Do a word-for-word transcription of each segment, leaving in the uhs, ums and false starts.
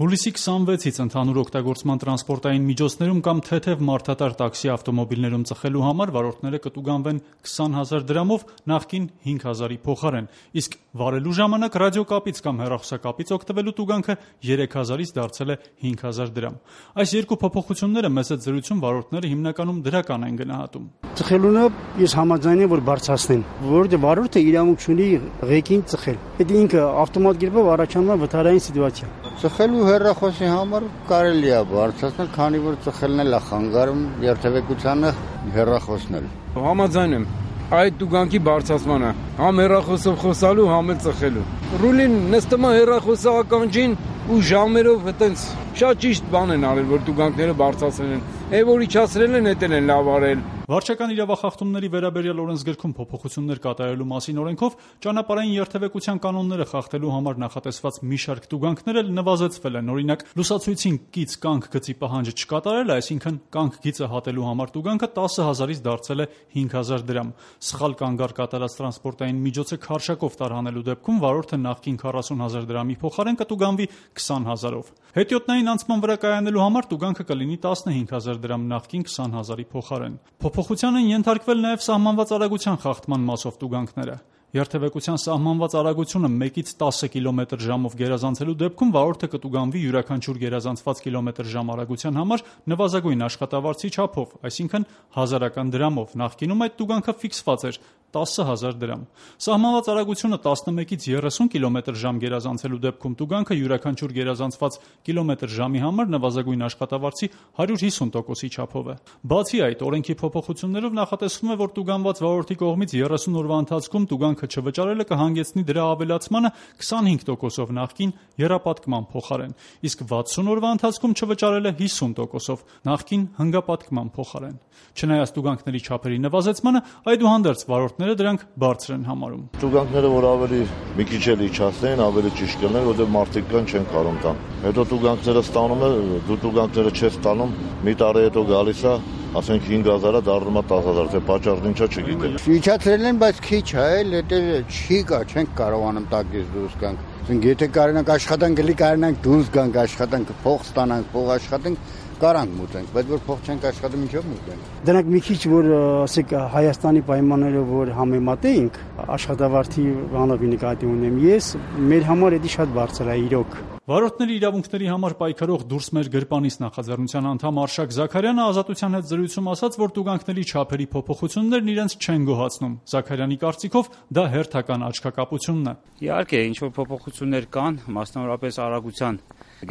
Հուլիսի քսանվեցից ընդհանուր օգտագործման տրանսպորտային միջոցներում կամ թեթև մարդատար տաքսի ավտոմոբիլներում ծխելու համար վարորդները կտուգանվեն քսան հազար դրամով նախկին հինգ հազարի փոխարեն, իսկ վարելու ժամանակ ռադիոկապից կամ հեռախոսակապից օգտվելու տուգանքը երեք հազարից դարձել է հինգ հազար դրամ։ Այս երկու փոփոխությունները մեծ զրույցում վարորդները հիմնականում դրական են գնահատում։ Ծխելունը ես համաձայն եմ, որ բարձրացնեն, որովհետև վարորդը իրավունք ունի ղեկին ծխել։ Այդ ինքը ավտոմատ կերպով առաջանում է վթարային սիտուացիա։ Ծխելու հեռախոսի համար կարելի է բարձրացնել, քանի որ ծխելն էլ է խանգարում երթևեկությանը հեռախոսն էլ։ Համաձայն եմ այդ տուգանքի բարձրացմանը, համ հեռախոսով խոսալու, համ էլ ծխելու։ Ռուլին նստում է հեռախոսի ականջին ու ժամերով այտենց շատ ճիշտ բան են արել, որ տուգանքները բարձրացրել են։ Է որ իջացրել են, էտել են լավ արել։ Վարչական իրավախախտումների վերաբերյալ օրենսգրքում փոփոխություններ կատարելու մասին օրենքով ճանապարհային երթևեկության կանոնները խախտելու համար նախատեսված մի շարք տուգանքներ էլ նվազեցվել են։ Օրինակ, լուսացույցին կից կանգ գծի պահանջը չկատարելը, այսինքն կանգ գիծը հատելու համար տուգանքը տասը հազարից դարձել է հինգ հազար դրամ։ Սխալ կանգար կատարած տրանսպորտային միջոցը քարշակով տարհանելու դեպքում վարորդը նախկին քառասուն հազար դրամի փոխարեն կտուգանվի քսան հազարով։ Հետիոտնային անցման վրա կայանելու համար տուգանքը կլինի տասնհինգ հազար դրամ նախկին քսան հազարի փոխարեն։ Փոփոխության են ենթարկվել նաև սահմանված արագության խախտման մասով տուգանքները։ Երթևեկության սահմանված արագությունը մեկից տասը կիլոմետր ժամով գերազանցելու դեպքում վարորդը կտուգանվի յուրաքանչյուր գերազանցված կիլոմետր ժամ արագության համար նվազագույն աշխատավարձի չափով, այսինքն հազարական դրամով։ Նախկինում այդ տուգանքը ֆիքսված էր տասը հազար դրամ։ Սահմանված արագությունը տասնմեկից երեսուն կիլոմետր ժամ գերազանցելու դեպքում տուգանքը յուրաքանչյուր գերազանցված կիլոմետր ժամի համար նվազագույն աշխատավարձի հարյուր հիսուն տոկոսի չափով է։ Բացի այդ, օրենքի փոփոխություններով նախատեսվում է, որ տուգանված վարորդի կողմից երեսուն օրվա ընթացքում տուգանքը չվճարելը կհանգեցնի դրա ավելացմանը քսանհինգ տոկոսով նախկին եռապատկման փոխարեն, իսկ վաթսուն օրվա ընթացքում չվճարելը հիսուն տոկոսով նախկին հնգապատկման փոխարեն։ Չնայած տուգանքների չափերի նվազեցմանը, այդուհանդերձ վարորդները դրանք բարձր են համարում։ Տուգանքները, որ ավելի մի քիչ էլ իջացնեն, ավելի ճիշտ կլիներ, որտեղ մարդիկ կան չեն կարող տան։ Հետո տուգանքները ստանում է, դու տուգանքները չես ստանում, մի տարի հետո գալիս է, ասենք հինգ հազարը դառնում է տասը հազար, թե պատճառն ինչա չգիտեմ։ Իջացրել են, բայց քիչ է, էլ դա չի կա, չենք կարողանում տակից դուրս գանք։ Ասենք եթե կարողանանք աշխատանք գլի, կարողանանք դուրս գանք, աշխատանք փող ստանանք, փող աշխատենք, կարանք մուտենք, բայց որ փող չենք աշխատում, ինչով մուտենք։ Դրանք մի քիչ որ ասեք Հայաստանի պայմաններով որ համեմատեինք, աշխատավարձի բանով նկատի ունեմ ես, մեր համար դա շատ բարձր է իրոք։ Վարորդների իրավունքների համար պայքարող «Դուրս մեր գրպանից» նախաձեռնության անդամ Արշակ Զաքարյանը ազատության հետ զրույցում ասաց, որ տուգանքների չափերի փոփոխություններն իրենց չեն գոհացնում։ Զաքարյանի կարծիքով դա հերթական աչքակապությունն է։ Իհարկե, ինչ որ փոփոխություններ կան, մասնավորապես արագության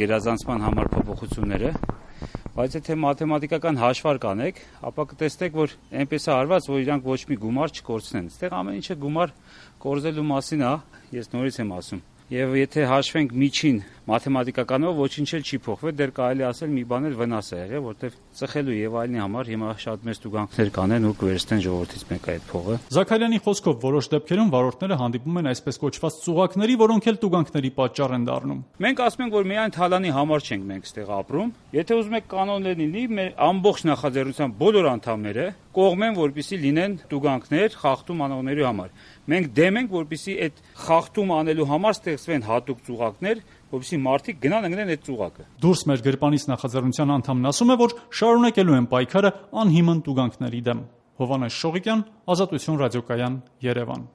գերազանցման համար փոփոխությունները, բայց եթե մաթեմատիկական հաշվարկ կանեք, ապա կտեսնեք, որ այնպես է արված, որ իրանք ոչ մի գումար չկորցնեն։ Այստեղ ամեն ինչը գումար կորզելու մասին է, ես նորից եմ ասում։ Եվ եթե հաշվենք միջին մաթեմատիկականով, ոչինչ էլ չի փոխվել, դեռ կարելի ասել մի բան էլ վնաս է եղել, որտեղ ծխելու եւ այլնի համար հիմա շատ մեծ տուգանքներ կանեն ու կվերցնեն ժողովրդից մեկը այդ փողը։ Զաքարյանի խոսքով որոշ դեպքերում վարորդները հանդիպում են այսպես կոչված ծուղակների, որոնք էլ տուգանքների պատճառ են դառնում։ Մենք ասում ենք, որ միայն թալանի համար չենք մենք ստեղ ապրում։ Եթե ուզում եք կանոններ լինի, մեր ամբողջ նախաձեռնության բոլոր անդամները կողմեն, որպեսզի լինեն տուգանքներ խախտում անողների համար։ Մենք դեմ ենք, որպեսզի այդ խախտում անելու համար ստեղծվեն հատուկ ծուղակներ, որպեսզի մարդիկ գնան ընկնեն այդ ծուղակը։ Դուրս մեր գրպանից նախաձեռնության անդամն ասում է, որ շարունակելու են պայքարը անհիմն տուգանքների դեմ։ Հովհաննես Շողիկյան, Ազատություն ռադիոկայան, Երևան։